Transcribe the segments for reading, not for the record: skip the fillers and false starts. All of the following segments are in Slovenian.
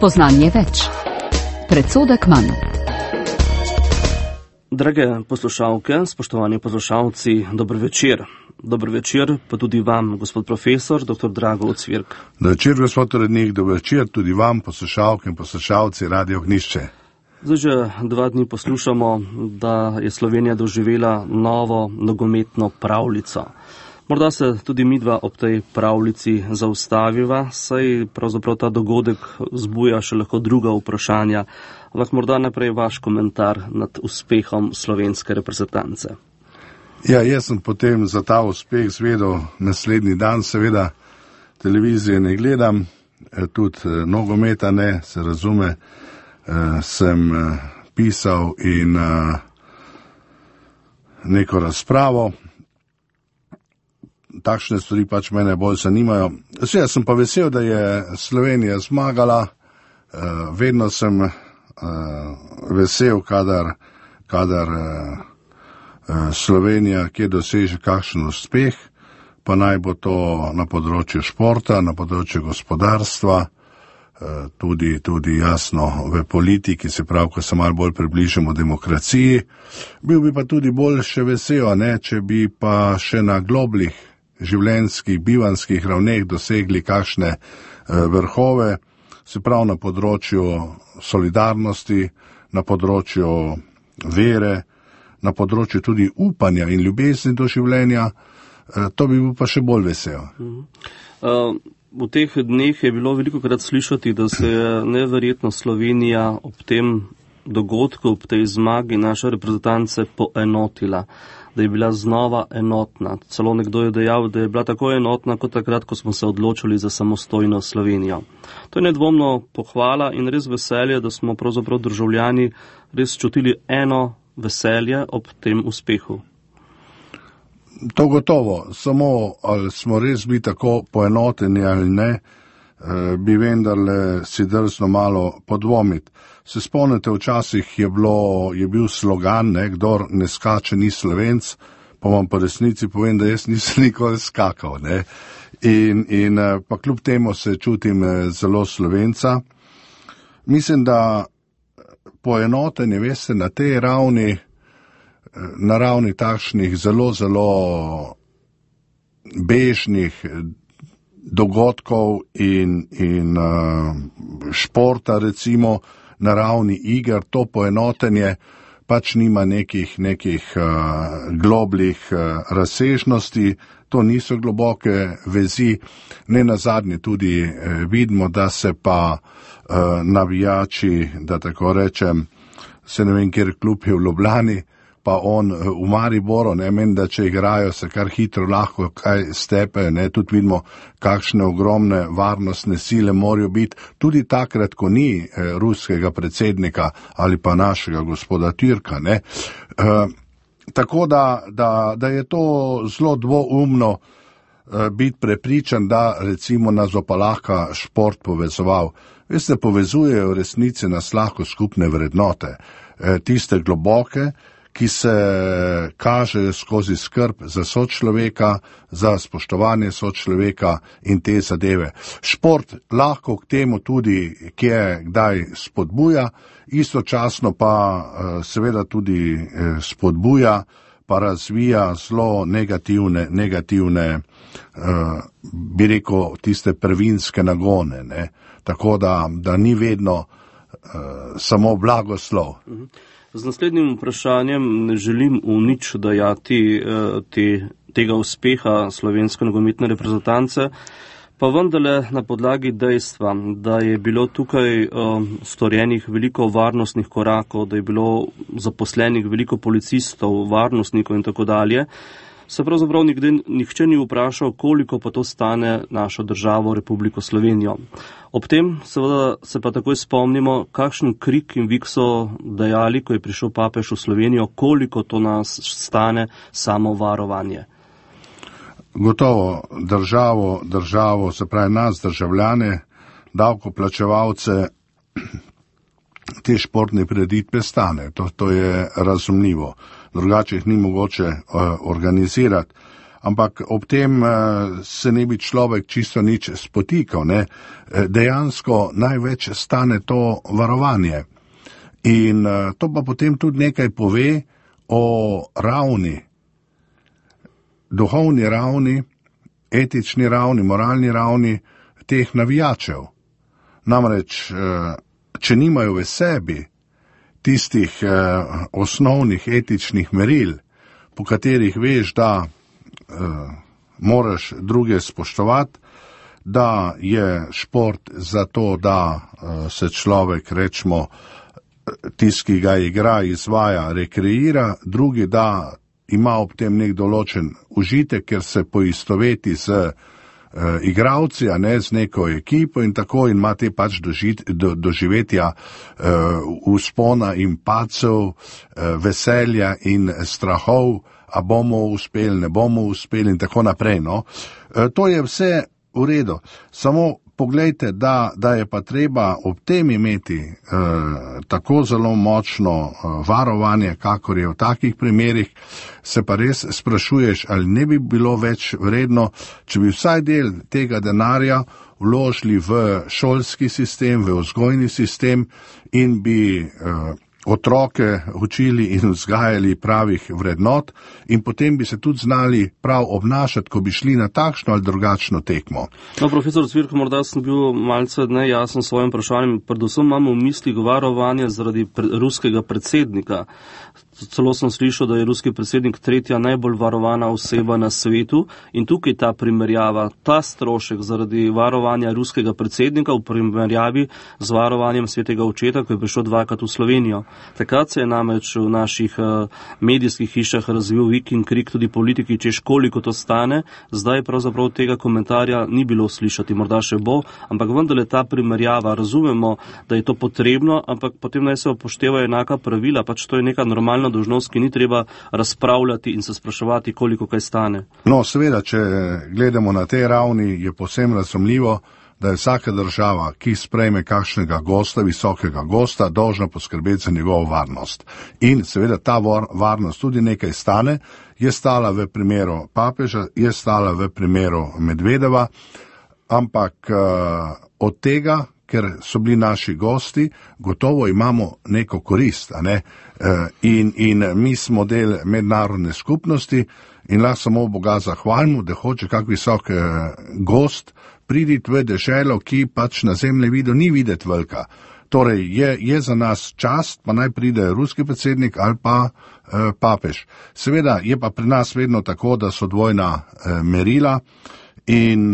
Spoznanje več. Predsodek manj. Drage poslušalke, spoštovani poslušalci, dober večer. Dober večer pa tudi vam, gospod profesor, dr. Drago Ocvirk. Dober večer, gospod urednik, dober večer tudi vam, poslušalke in poslušalci Radio Ognjišče. Zdaj že 2 dni poslušamo, da je Slovenija doživela novo nogometno pravljico. Morda se tudi midva ob tej pravljici zaustaviva, saj pravzaprav ta dogodek zbuja še lahko druga vprašanja, ampak morda najprej vaš komentar nad uspehom slovenske reprezentance. Ja, jaz sem potem za ta uspeh zvedel naslednji dan, seveda televizije ne gledam, tudi nogometa ne, se razume, sem pisal in neko razpravo. Takšne stvari pač mene bolj zanimajo. Jaz sem pa vesel, da je Slovenija zmagala, vedno sem vesel, kadar Slovenija kje doseže kakšen uspeh, pa naj bo to na področju športa, na področju gospodarstva, tudi jasno v politiki, se pravi, ko se malo bolj približamo demokraciji. Bil bi pa tudi bolj še vesel, če bi pa še na globlih življenjskih, bivanskih ravneh dosegli kakšne vrhove, se pravi na področju solidarnosti, na področju vere, na področju tudi upanja in ljubezni do življenja, to bi bil pa še bolj vesel. V teh dneh je bilo velikokrat slišati, da se je neverjetno Slovenija ob tem dogodku, ob tej zmagi naše reprezentance poenotila, da je bila znova enotna. Celo nekdo je dejal, da je bila tako enotna kot takrat, ko smo se odločili za samostojno Slovenijo. To je nedvomno pohvala in res veselje, da smo pravzaprav državljani res čutili eno veselje ob tem uspehu. To gotovo, samo ali smo res bili tako poenoteni ali ne, bi vendarle si drzno malo podvomiti. Se spomnite, včasih je bil slogan, kdor ne skače ni Slovenc, pa vam po resnici povem, da jaz nisem nikoli skakal. In pa kljub temu se čutim zelo Slovenca. Mislim, da poenotenje, veste, na tej ravni, na ravni takšnih zelo bežnih dogodkov in športa, recimo na ravni iger, to poenotenje pač nima nekih globlih razsežnosti, to niso globoke vezi. Ne nazadnje tudi vidimo, da se pa navijači, da tako rečem, se ne vem, kjer klub je v Ljubljani, pa on v Mariboru, meni, da če igrajo, se kar hitro lahko kaj stepe, tudi vidimo, kakšne ogromne varnostne sile morajo biti, tudi takrat, ko ni ruskega predsednika ali pa našega gospoda Türka. Tako da je to zelo dvoumno biti prepričan, da recimo nas bo pa lahko šport povezoval. Veste, povezujejo v resnici nas lahko skupne vrednote, tiste globoke, ki se kažejo skozi skrb za sočloveka, za spoštovanje sočloveka in te zadeve. Šport lahko k temu tudi kdaj spodbuja, istočasno pa seveda tudi spodbuja, pa razvija zelo negativne, bi rekel, tiste prvinske nagone, tako da ni vedno samo blagoslov. Z naslednjim vprašanjem ne želim v nič dajati tega uspeha slovenske nogometne reprezentance, pa vendarle na podlagi dejstva, da je bilo tukaj storjenih veliko varnostnih korakov, da je bilo zaposlenih veliko policistov, varnostnikov in tako dalje, se pravzaprav nihče ni vprašal, koliko pa to stane našo državo, Republiko Slovenijo. Ob tem seveda se pa takoj spomnimo, kakšen krik in vik so dajali, ko je prišel papež v Slovenijo, koliko to nas stane samo varovanje. Gotovo državo, se pravi nas, državljane, davkoplačevalce, te športne prireditve stane. To je razumljivo. Drugače jih ni mogoče organizirati. ampak ob tem se ne bi človek čisto nič spotikal, ne. Dejansko največ stane to varovanje. In to pa potem tudi nekaj pove o ravni, duhovni ravni, etični ravni, moralni ravni teh navijačev. Namreč, če nimajo v sebi tistih osnovnih etičnih meril, po katerih veš, da moraš druge spoštovati, da je šport zato, da se človek, rečemo, tisti, ki ga igra, izvaja, rekreira, drugi, da ima ob tem nek določen užitek, ker se poistoveti z igravci, a ne z neko ekipo in tako, in ima te pač doživetja vzpona in padcev, veselja in strahov, a bomo uspeli, ne bomo uspeli in tako naprej. No. To je vse v redu, samo poglejte, da je pa treba ob tem imeti tako zelo močno varovanje, kakor je v takih primerih, se pa res sprašuješ, ali ne bi bilo več vredno, če bi vsaj del tega denarja vložili v šolski sistem, v vzgojni sistem in bi otroke učili in vzgajali pravih vrednot in potem bi se tudi znali prav obnašati, ko bi šli na takšno ali drugačno tekmo. No, profesor Cvirko, morda sem bil malce nejasen s svojim vprašanjem, predvsem imamo v misli varovanje zaradi ruskega predsednika. Celo sem slišal, da je ruski predsednik tretja najbolj varovana oseba na svetu in tukaj ta primerjava, ta strošek zaradi varovanja ruskega predsednika v primerjavi z varovanjem svetega očeta, ko je prišel dvakrat v Slovenijo. Takrat se je namreč v naših medijskih hišah razvil vik in krik tudi politiki, češ koliko to stane, zdaj pravzaprav tega komentarja ni bilo slišati, morda še bo, ampak vendarle ta primerjava, razumemo, da je to potrebno, ampak potem naj se upoštevajo enaka pravila, pač to je neka normalna dolžnost, ki ni treba razpravljati in se spraševati, koliko kaj stane. No, seveda, če gledamo na tej ravni, je povsem razumljivo, da je vsaka država, ki sprejme kakšnega gosta, visokega gosta, dolžna poskrbeti za njegovo varnost. In seveda ta varnost tudi nekaj stane, je stala v primeru papeža, je stala v primeru Medvedeva, ampak od tega, ker so bili naši gosti, gotovo imamo neko korist, a ne? In mi smo del mednarodne skupnosti in lahko samo Boga zahvalimo, da hoče kak visok gost priditi v deželo, ki pač na zemljevidu ni videti velika. Torej je za nas čast, pa naj pride ruski predsednik ali pa papež. Seveda je pa pri nas vedno tako, da so dvojna merila, in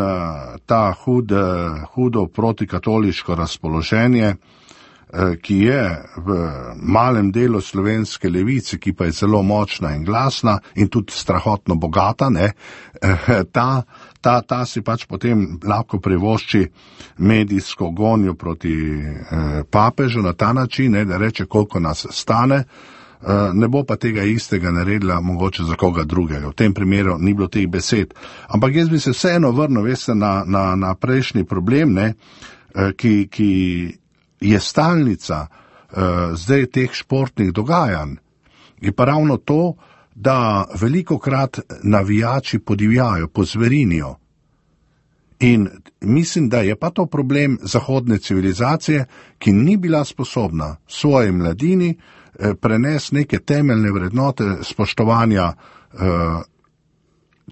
ta hudo protikatoliško razpoloženje, ki je v malem delu slovenske levice, ki pa je zelo močna in glasna in tudi strahotno bogata, ne, ta si pač potem lahko privošči medijsko gonjo proti papežu na ta način, ne, da reče, koliko nas stane. Ne bo pa tega istega naredila mogoče za koga drugega. V tem primeru ni bilo teh besed. Ampak jaz bi se vseeno vrnil, veste, na prejšnji problem, ne, ki je stalnica zdaj teh športnih dogajanj. Je pa ravno to, da velikokrat navijači podivjajo, pozverinijo. In mislim, da je pa to problem zahodne civilizacije, ki ni bila sposobna svoji mladini prenesti neke temeljne vrednote spoštovanja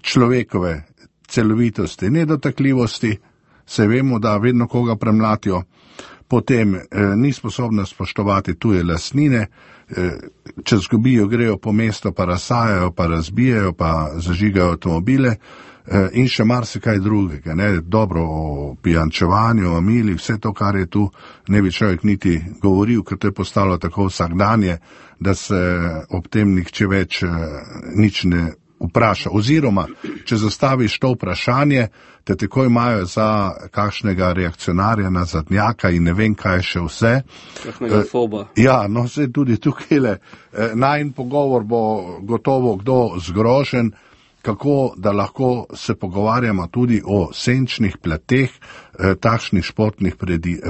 človekove celovitosti, nedotakljivosti, se vemo, da vedno koga premlatijo, potem ni sposobna spoštovati tuje lastnine, če zgubijo, grejo po mesto, pa razsajajo, pa razbijajo, pa zažigajo avtomobile in še marsikaj drugega, ne, dobro o pijančevanju, o mili, vse to, kar je tu, ne bi človek niti govoril, ker to je postalo tako vsakdanje, da se ob tem nihče več nič ne vpraša. Oziroma, če zastaviš to vprašanje, te takoj imajo za kakšnega reakcionarja, nazadnjaka in ne vem kaj še vse. Kakšnega foba. Ja, no, se tudi tukaj najin pogovor bo gotovo kdo zgrožen, kako da lahko se pogovarjamo tudi o senčnih plateh takšnih športnih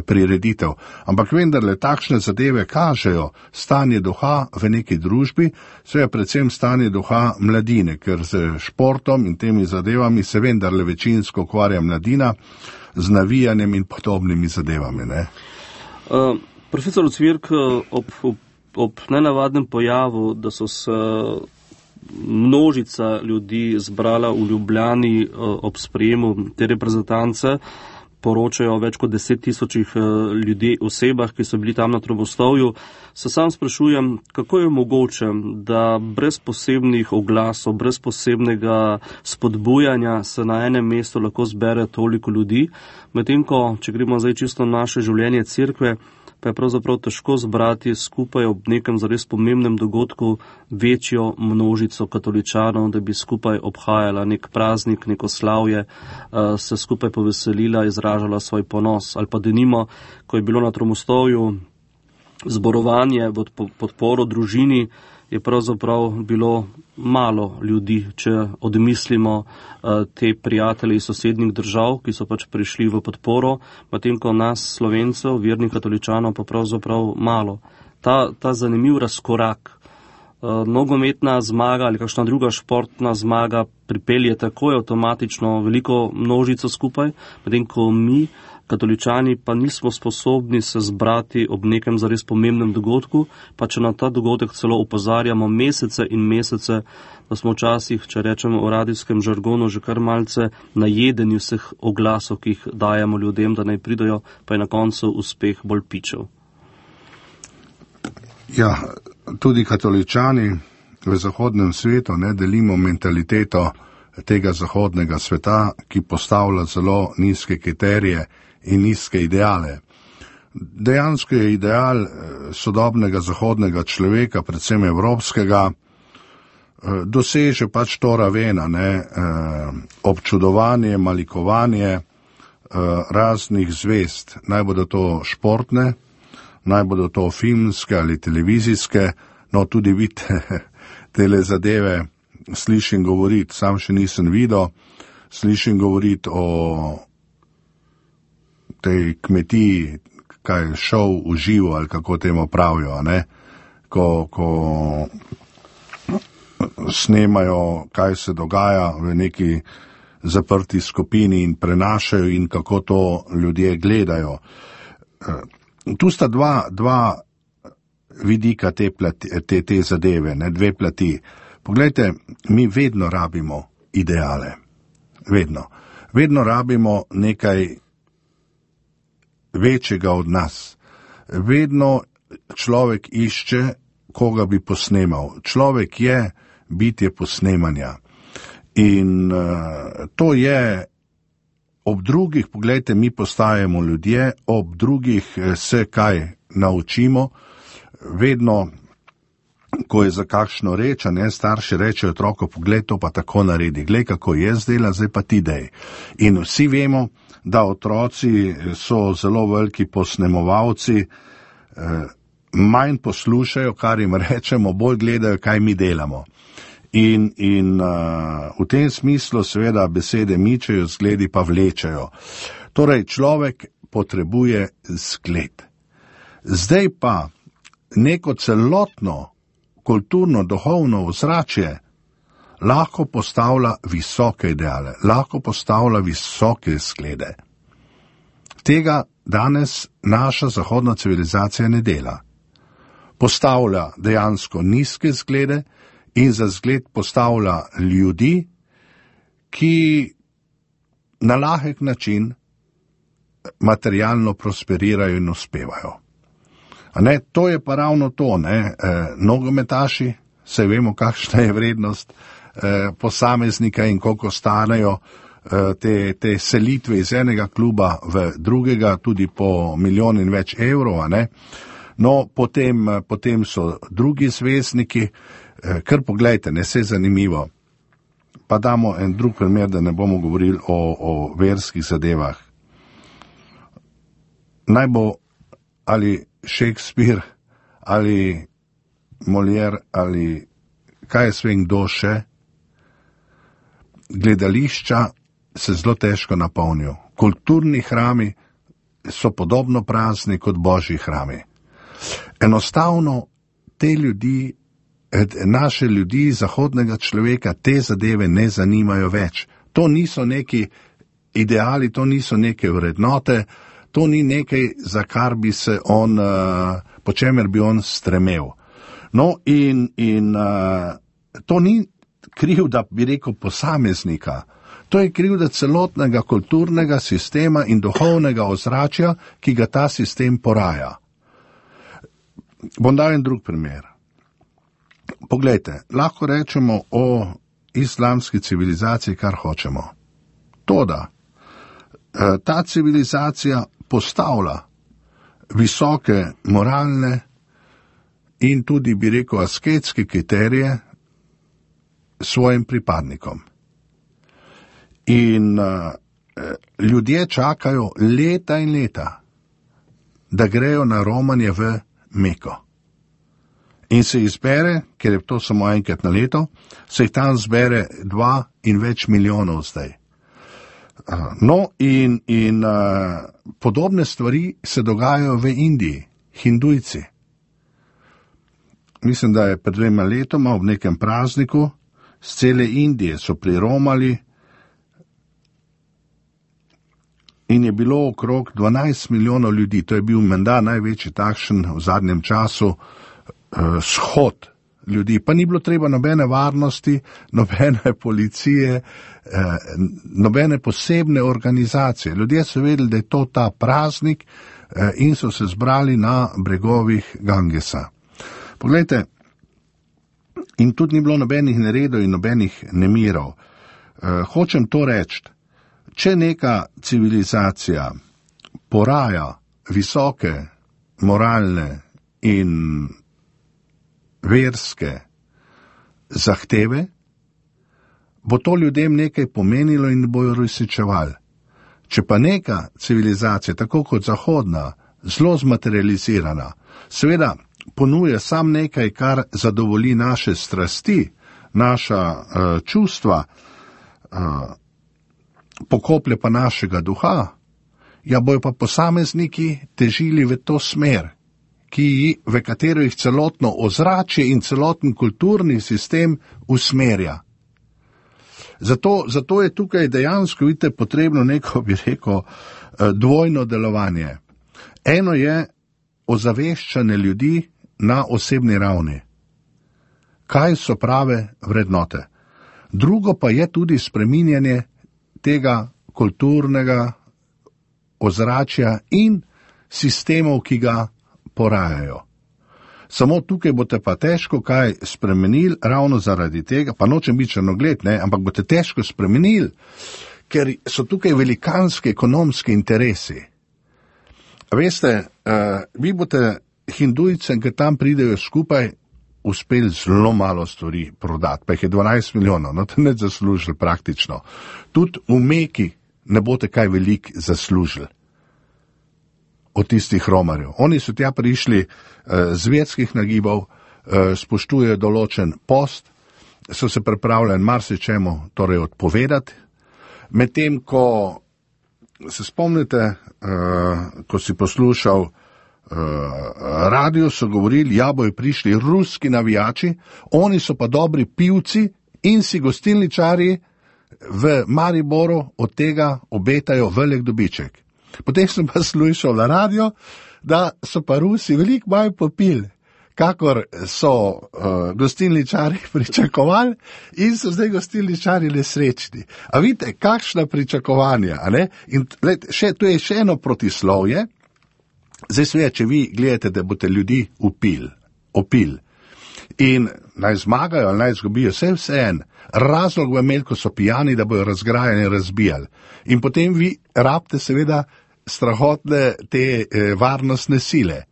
prireditev. Ampak vendarle takšne zadeve kažejo stanje duha v neki družbi, seveda predvsem stanje duha mladine, ker z športom in temi zadevami se vendarle večinsko ukvarja mladina z navijanjem in podobnimi zadevami. Ne? Profesor Ocvirk, ob nenavadnem pojavu, da so se množica ljudi zbrala v Ljubljani ob sprejemu te reprezentance, poročajo več kot 10,000 ljudi, osebah, ki so bili tam na Trobostovju, se sam sprašujem, kako je mogoče, da brez posebnih oglasov, brez posebnega spodbujanja se na enem mestu lahko zbere toliko ljudi, medtem ko, če gremo zdaj čisto naše življenje cerkve, pa je pravzaprav težko zbrati skupaj ob nekem zares pomembnem dogodku večjo množico katoličanov, da bi skupaj obhajala nek praznik, neko slavje, se skupaj poveselila, izražala svoj ponos. Ali pa denimo, ko je bilo na Tromostovju zborovanje v podporo družini, je pravzaprav bilo malo ljudi, če odmislimo te prijatelje iz sosednjih držav, ki so pač prišli v podporo, medtem ko nas, Slovencev, vernih katoličanov, pa pravzaprav malo. Ta zanimiv razkorak, nogometna zmaga ali kakšna druga športna zmaga pripelje takoj avtomatično veliko množico skupaj, medtem ko mi, katoličani, pa nismo sposobni se zbrati ob nekem zares pomembnem dogodku, pa če na ta dogodek celo opozarjamo mesece in mesece, da smo včasih, če rečemo v radijskem žargonu, že kar malce najedeni vseh oglasov, ki jih dajemo ljudem, da naj pridajo, pa je na koncu uspeh bolj pičev. Ja, tudi katoličani v zahodnem svetu ne delimo mentaliteto tega zahodnega sveta, ki postavlja zelo nizke kriterije in nizke ideale. Dejansko je ideal sodobnega zahodnega človeka, predvsem evropskega, doseže pač to ravena, občudovanje, malikovanje raznih zvezd, naj bodo to športne, naj bodo to filmske ali televizijske, no tudi vidite tele zadeve, slišim govoriti, sam še nisem videl, slišim govoriti o tej kmetiji, kaj šov v živo ali kako temu pravijo, ne? Ko snemajo, kaj se dogaja v neki zaprti skupini in prenašajo in kako to ljudje gledajo. Tu sta dva vidika te zadeve, ne, dve plati. Poglejte, mi vedno rabimo ideale. Vedno rabimo nekaj večjega od nas. Vedno človek išče, koga bi posnemal. Človek je bitje posnemanja. In to je ob drugih, poglejte, mi postajamo ljudje, ob drugih se kaj naučimo. Vedno, ko je za kakšno reč, starši rečejo otroku, poglej, to pa tako naredi, glej, kako jaz delam, zdaj pa ti dej. In vsi vemo, da otroci so zelo veliki posnemovalci, manj poslušajo, kar jim rečemo, bolj gledajo, kaj mi delamo. In v tem smislu seveda besede mičejo, zgledi pa vlečejo. Torej, človek potrebuje zgled. Zdaj pa neko celotno kulturno, duhovno ozračje lahko postavlja visoke ideale, lahko postavlja visoke zglede. Tega danes naša zahodna civilizacija ne dela. Postavlja dejansko nizke zglede in za zgled postavlja ljudi, ki na lahek način materialno prosperirajo in uspevajo. To je pa ravno to, nogometaši, saj vemo, kakšna je vrednost posameznika in koliko stanejo te selitve iz enega kluba v drugega, tudi po milijon in več evrov, No, potem so drugi zvezdniki, kar poglejte, se je zanimivo. Pa damo en drug primer, da ne bomo govorili o verskih zadevah. Naj bo ali Shakespeare, ali Molière, ali kaj je svem kdo še, gledališča se zelo težko napolnijo. Kulturni hrami so podobno prazni kot božji hrami. Enostavno te ljudi, naše ljudi, zahodnega človeka, te zadeve ne zanimajo več. To niso neki ideali, to niso neke vrednote, to ni nekaj, za kar bi se on, po čemer bi on stremel. No in to ni krivda, bi rekel, posameznika. To je krivda celotnega kulturnega sistema in duhovnega ozračja, ki ga ta sistem poraja. Bom dal en drug primer. Poglejte, lahko rečemo o islamski civilizaciji, kar hočemo. Toda ta civilizacija postavlja visoke moralne in tudi, bi rekel, asketske kriterije svojim pripadnikom. In ljudje čakajo leta in leta, da grejo na romanje v Meko. In se izbere, ker je to samo enkrat na leto, se jih tam zbere 2 in več milijonov zdaj. No in podobne stvari se dogajajo v Indiji, hindujci. Mislim, da je pred 2 letoma ob nekem prazniku z cele Indije so priromali in je bilo okrog 12 milijonov ljudi. To je bil menda največji takšen v zadnjem času shod ljudi. Pa ni bilo treba nobene varnosti, nobene policije, nobene posebne organizacije. Ljudje so vedeli, da je to ta praznik in so se zbrali na bregovih Gangesa. Poglejte, in tudi ni bilo nobenih neredov in nobenih nemirov. Hočem to reči, če neka civilizacija poraja visoke moralne in verske zahteve, bo to ljudem nekaj pomenilo in bojo uresničevali. Če pa neka civilizacija, tako kot zahodna, zelo zmaterializirana, seveda ponuje sam nekaj, kar zadovolji naše strasti, naša čustva, pokoplje pa našega duha, ja bojo pa posamezniki težili v to smer, v katero jih celotno ozračje in celoten kulturni sistem usmerja. Zato je tukaj dejansko, vidite, potrebno neko, bi rekel, dvojno delovanje. Eno je ozaveščanje ljudi na osebni ravni. Kaj so prave vrednote? Drugo pa je tudi spreminjanje tega kulturnega ozračja in sistemov, ki ga porajajo. Samo tukaj boste pa težko kaj spremenili, ravno zaradi tega, pa nočem biti črnogled, ampak boste težko spremenili, ker so tukaj velikanski ekonomski interesi. Veste, vi boste hindujcem, ki tam pridejo skupaj, uspeli zelo malo stvari prodati, pa jih je 12 milijonov, no to ne zaslužili praktično. Tudi v Meki ne boste kaj velik zaslužili od tistih romarjev. Oni so tja prišli z verskih nagibov, spoštujejo določen post, so se pripravljeni marsičemu torej odpovedati, medtem ko se spomnite, ko si poslušal radio, so govorili, ja, bojo prišli ruski navijači, oni so pa dobri pivci in si gostilničarji v Mariboru od tega obetajo velik dobiček. Potem sem pa slušal na radio, da so pa Rusi veliko manj popili, kakor so gostilničari pričakovali in so zdaj gostilničari nesrečni. A vidite, kakšna pričakovanja, a ne? In to je še eno protislovje. Zdaj sve, če vi gledate, da boste ljudi opil in naj zmagajo ali naj zgubijo, vse en, razlog v imeli, ko so pijani, da bojo razgrajani in razbijali. In potem vi rabite seveda strahotne te varnostne sile.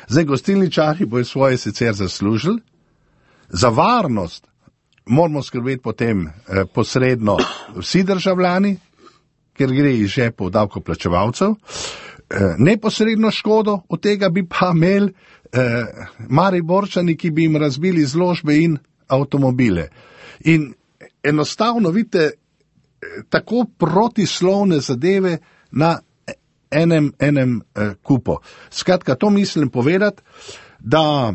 Zdaj gostilničari bojo svoje sicer zaslužili, za varnost moramo skrbeti potem posredno vsi državljani, ker gre iz žepov davkoplačevalcev, neposredno škodo od tega bi pa imeli Mariborčani, ki bi jim razbili izložbe in avtomobile. In enostavno, vidite, tako protislovne zadeve na enem kupu. Skratka, to mislim povedati, da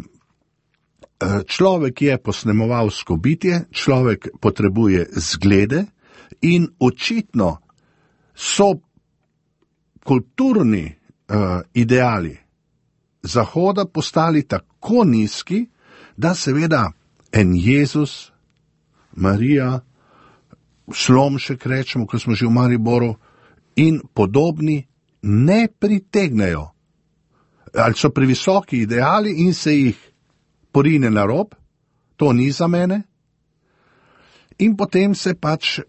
človek je posnemovalsko bitje, človek potrebuje zglede in očitno so kulturni ideali Zahoda postali tako nizki, da seveda en Jezus, Marija, Slomšek rečemo, ko smo že v Mariboru, in podobni ne pritegnejo. Ali so previsoki ideali in se jih porine na rob, to ni za mene. In potem se pač,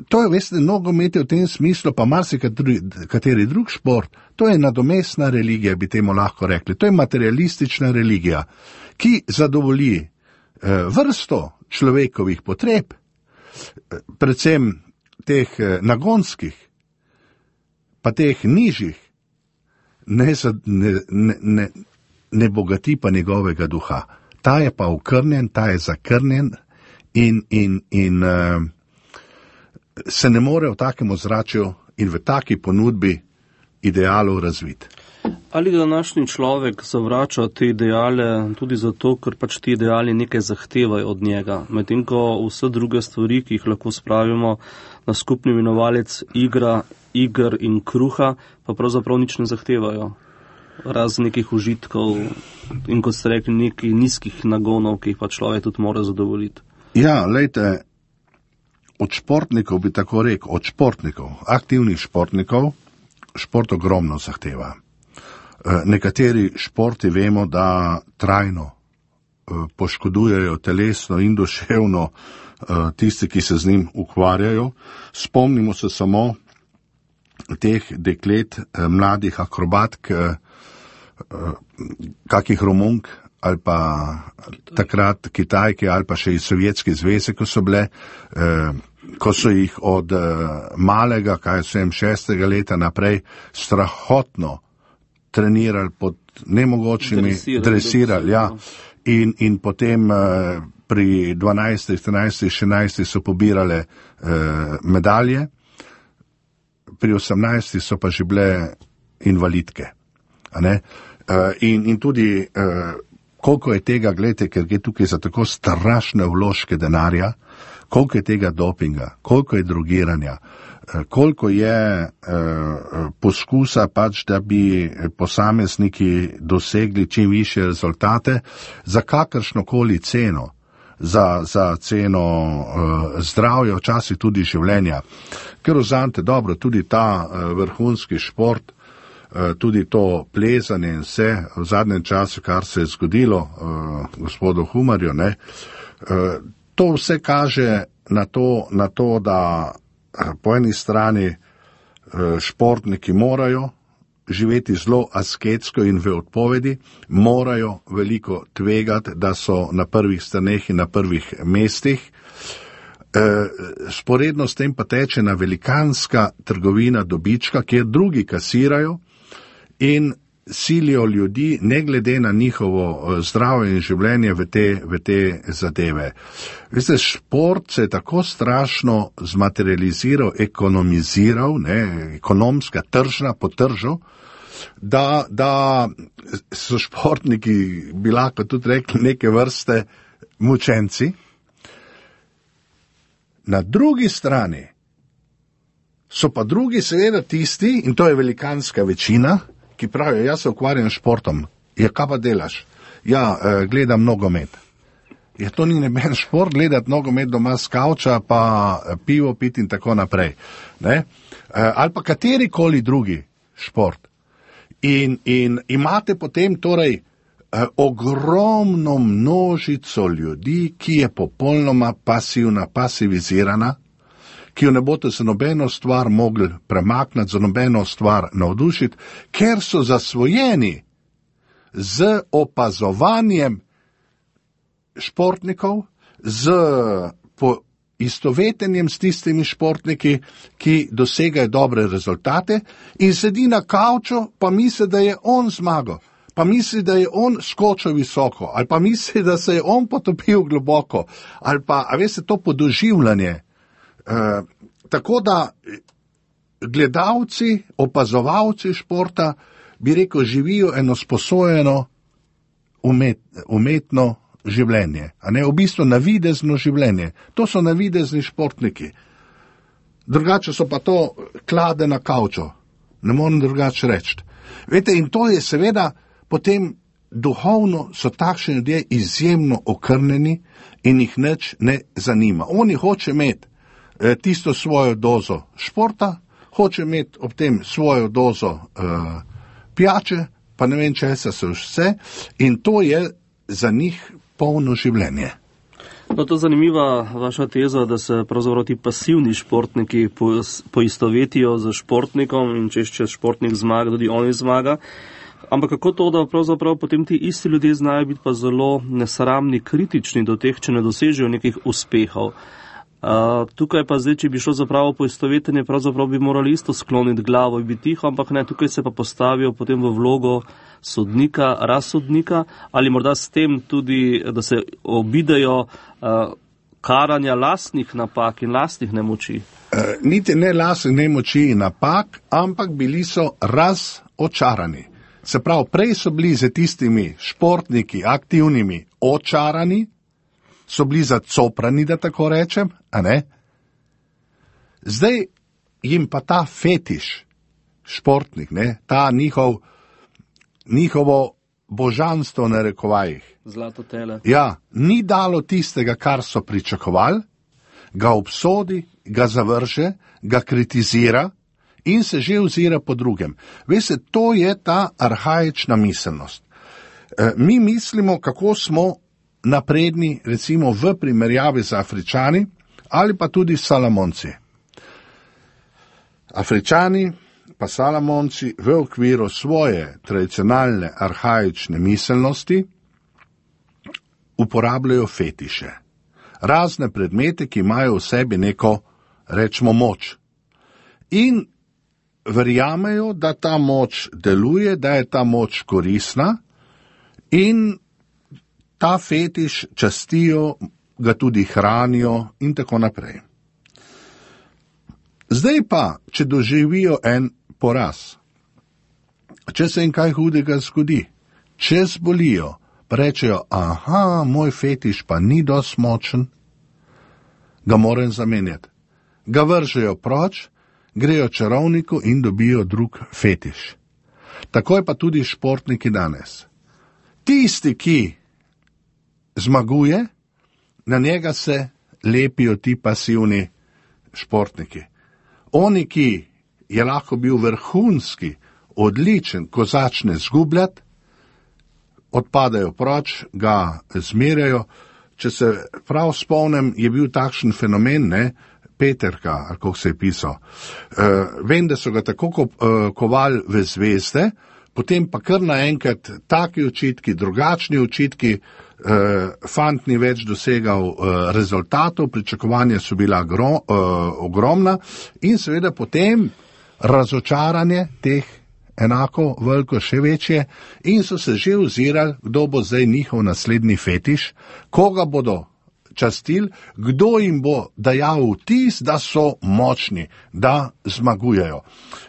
to je, veste, nogomet je v tem smislu, pa marsikateri drug šport, to je nadomestna religija, bi temu lahko rekli. To je materialistična religija, ki zadovolji vrsto človekovih potreb, predvsem teh nagonskih, pa teh nižjih, ne bogati pa njegovega duha. Ta je pa okrnjen, ta je zakrnjen in se ne more v takem ozračju in v taki ponudbi idealov razviti. Ali današnji človek zavrača te ideale tudi zato, ker pač ti ideali nekaj zahtevajo od njega, medtem ko vse druge stvari, ki jih lahko spravimo na skupni imenovalec iger in kruha, pa pravzaprav nič ne zahtevajo. Razen nekih užitkov in, kot ste rekli, nekih nizkih nagonov, ki jih pa človek tudi mora zadovoljiti. Ja, lejte, od športnikov bi tako rekel, od športnikov, aktivnih športnikov, šport ogromno zahteva. Nekateri športi vemo, da trajno poškodujejo telesno in duševno tisti, ki se z njim ukvarjajo. Spomnimo se samo teh deklet, mladih akrobatk, kakih Romunk ali pa takrat Kitajke ali pa še iz Sovjetske zveze, ko so bile, ko so jih od malega, 6. leta naprej, strahotno trenirali pod nemogočimi, dresirali, ja. In potem pri 12, 13, 16 so pobirale medalje, pri 18 so pa že bile invalidke. A ne? In tudi koliko je tega, gledajte, ker gre tukaj za tako strašne vložke denarja, koliko je tega dopinga, koliko je drogiranja, koliko je poskusa pač, da bi posamezniki dosegli čim više rezultate za kakršnokoli ceno, za ceno zdravja, včasih tudi življenja. Ker vzamete dobro, tudi ta vrhunski šport, tudi to plezanje in vse v zadnjem času, kar se je zgodilo gospodu Humarju, ne, to vse kaže na to, da po eni strani športniki morajo živeti zelo asketsko in v odpovedi, morajo veliko tvegati, da so na prvih straneh in na prvih mestih. Sporedno s tem pa teče na velikanska trgovina dobička, kjer drugi kasirajo in silijo ljudi, ne glede na njihovo zdravje in življenje v te zadeve. Veste, šport se je tako strašno zmaterializiral, ekonomiziral, ne, ekonomska, tržna, potržal, da so športniki, bi lahko tudi rekli, neke vrste mučenci. Na drugi strani so pa drugi seveda tisti, in to je velikanska večina, ki pravijo, jaz se ukvarjam s športom. Ja, kaj pa delaš? Ja, gledam nogomet. Ja, to ni neben šport, gledati nogomet doma s kavča, pa pivo piti in tako naprej. Ne? Ali pa katerikoli drugi šport. In imate potem torej ogromno množico ljudi, ki je popolnoma pasivna, pasivizirana, ki jo ne boste za nobeno stvar mogli premakniti, za nobeno stvar navdušiti, ker so zasvojeni z opazovanjem športnikov, z istovetenjem s tistimi športniki, ki dosegajo dobre rezultate in sedi na kavču, pa misli, da je on zmagal, pa misli, da je on skočil visoko, ali pa misli, da se je on potopil globoko, ali pa, a veste, to podoživljanje tako da gledalci, opazovalci športa, bi rekel, živijo eno sposojeno umetno življenje, a ne, v bistvu navidezno življenje. To so navidezni športniki. Drugače so pa to klade na kavčo. Ne morem drugače reči. Vete, in to je seveda potem duhovno so takšni ljudje izjemno okrnjeni in jih nič ne zanima. Oni hoče imeti tisto svojo dozo športa, hoče imeti ob tem svojo dozo pijače, pa ne vem česa se vse, in to je za njih polno življenje. No, to je zanimiva vaša teza, da se pravzaprav ti pasivni športniki poistovetijo z športnikom in če športnik zmaga, tudi oni zmaga. Ampak kako to, da pravzaprav potem ti isti ljudje znajo biti pa zelo nesramni, kritični do teh, če ne dosežejo nekih uspehov. Tukaj pa zdaj, če bi šlo za pravo poistovetenje, pravzaprav bi morali isto skloniti glavo in biti tiho, ampak ne, tukaj se pa postavijo potem v vlogo sodnika, razsodnika, ali morda s tem tudi, da se obidejo karanja lastnih napak in lastnih nemoči. Niti ne lastnih nemoči in napak, ampak bili so razočarani. Se pravi, prej so bili za tistimi športniki, aktivnimi, očarani, so bili zacoprani, da tako rečem, a ne? Zdaj jim pa ta fetiš, športnik, ne, ta njihovo božanstvo na rekovajih. Zlato tele. Ja, ni dalo tistega, kar so pričakovali, ga obsodi, ga zavrže, ga kritizira in se že ozira po drugem. Veste, to je ta arhaična miselnost. Mi mislimo, kako smo napredni, recimo v primerjavi z Afričani ali pa tudi Salamonci. Afričani pa Salamonci v okviru svoje tradicionalne arhaične miselnosti uporabljajo fetiše. Razne predmete, ki imajo v sebi neko, rečemo, moč. In verjamejo, da ta moč deluje, da je ta moč koristna in ta fetiš častijo, ga tudi hranijo in tako naprej. Zdaj pa, če doživijo en poraz, če se jim kaj hudega zgodi, če zbolijo, pa rečejo, aha, moj fetiš pa ni dosti močen, ga moram zamenjati. Ga vržejo proč, grejo čarovniku in dobijo drug fetiš. Tako je pa tudi športniki danes. Tisti, ki zmaguje, na njega se lepijo ti pasivni športniki. Oni, ki je lahko bil vrhunski, odličen, ko začne zgubljati, odpadajo proč, ga zmerjajo. Če se prav spomnim, je bil takšen fenomen, ne, Peterka, ali kako se je pisal. Vem, da so ga tako kovali v zvezde, potem pa kar naenkrat taki očitki, drugačni očitki, fant ni več dosegal rezultatov, pričakovanja so bila ogromna in seveda potem razočaranje teh enako veliko še večje in so se že ozirali, kdo bo zdaj njihov naslednji fetiš, koga bodo častili, kdo jim bo dajal vtis, da so močni, da zmagujejo.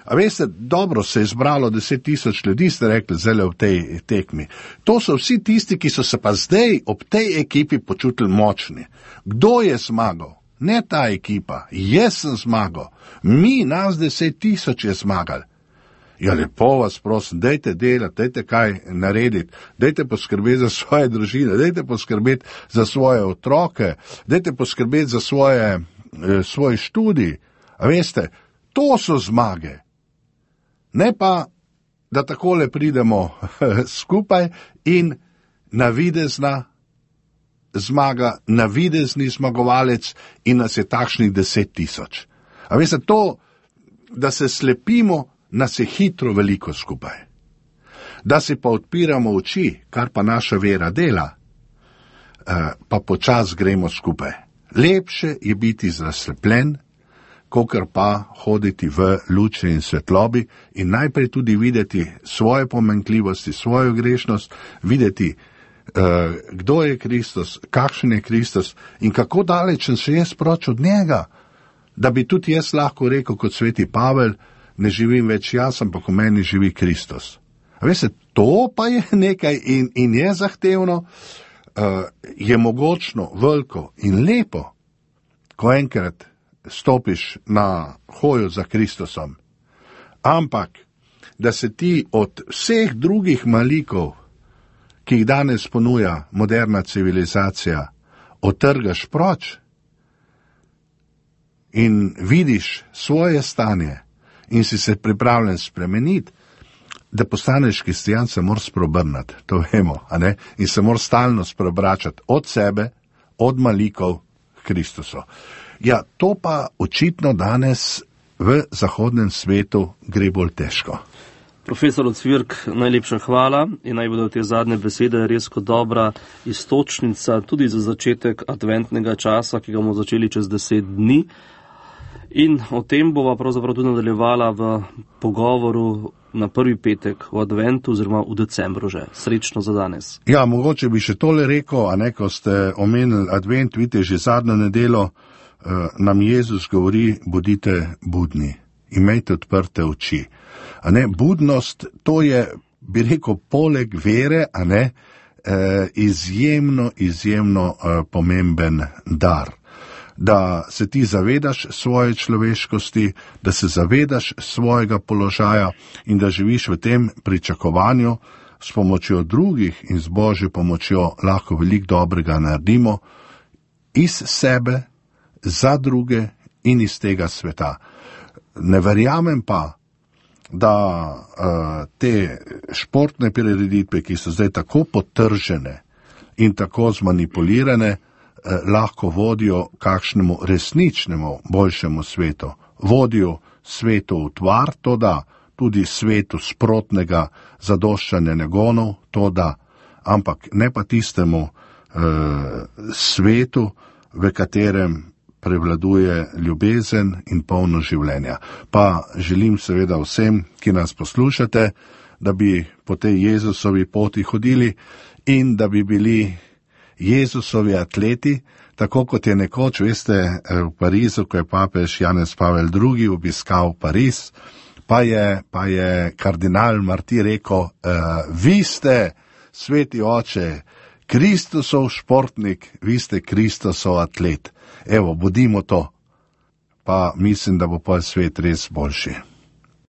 A veste, dobro se je zbralo 10,000 ljudi, ste rekli, zdaj v tej tekmi. To so vsi tisti, ki so se pa zdaj ob tej ekipi počutili močni. Kdo je zmagal? Ne ta ekipa, jaz sem zmagal. Mi, nas 10,000 je zmagali. Ja, lepo vas prosim, dajte delati, dajte kaj narediti, dajte poskrbeti za svoje družine, dajte poskrbeti za svoje otroke, dajte poskrbeti za svoj študij. A veste, to so zmage. Ne pa, da takole pridemo skupaj in navidezna zmaga, navidezni zmagovalec in nas je takšnih 10,000. A veste, to, da se slepimo, nas je hitro veliko skupaj. Da si pa odpiramo oči, kar pa naša vera dela, pa počas gremo skupaj. Lepše je biti zaslepljen, kakor pa hoditi v luči in svetlobi in najprej tudi videti svoje pomanjkljivosti, svojo grešnost, videti, kdo je Kristus, kakšen je Kristus in kako daleč sem se jaz proč od njega. da bi tudi jaz lahko rekel kot sveti Pavel, ne živim več jaz, ampak v meni živi Kristus. A veste, to pa je nekaj in je zahtevno, je mogočno, veliko in lepo, ko enkrat stopiš na hojo za Kristusom. Ampak, da se ti od vseh drugih malikov, ki jih danes ponuja moderna civilizacija, otrgaš proč in vidiš svoje stanje in si se pripravljen spremeniti, da postaneš kristjan, se moraš spreobrniti, to vemo, a ne? In se moraš stalno spreobračati od sebe, od malikov k Kristusu. Ja, to pa očitno danes v zahodnem svetu gre bolj težko. Profesor Ocvirk, najlepša hvala in naj bodo te zadnje besede res kot dobra iztočnica tudi za začetek adventnega časa, ki ga bomo začeli čez 10 dni. In o tem bova pravzaprav tudi nadaljevala v pogovoru na prvi petek v adventu oziroma v decembru že. Srečno za danes. Ja, mogoče bi še tole rekel, a ne, ko ste omenili advent, vidite, že zadnjo nedelo nam Jezus govori, bodite budni, imejte odprte oči. A ne, budnost, to je, bi rekel, poleg vere, a ne, izjemno pomemben dar. Da se ti zavedaš svoje človeškosti, da se zavedaš svojega položaja in da živiš v tem pričakovanju, s pomočjo drugih in z Božjo pomočjo lahko veliko dobrega naredimo iz sebe, za druge in iz tega sveta. Ne verjamem pa, da te športne prireditve, ki so zdaj tako potržene in tako zmanipulirane, lahko vodijo kakšnemu resničnemu boljšemu svetu. Vodijo svetu v tvar, to da, tudi svetu sprotnega zadoščanja nagonov, to da, ampak ne pa tistemu svetu, v katerem prevladuje ljubezen in polno življenja. Pa želim seveda vsem, ki nas poslušate, da bi po tej Jezusovi poti hodili in da bi bili Jezusovi atleti, tako kot je nekoč, veste, v Parizu, ko je papež Janez Pavel II. Obiskal Pariz, pa je kardinal Marti rekel, vi ste, sveti oče, Kristusov športnik, vi ste Kristusov atlet. Evo, bodimo to, pa mislim, da bo pa svet res boljši.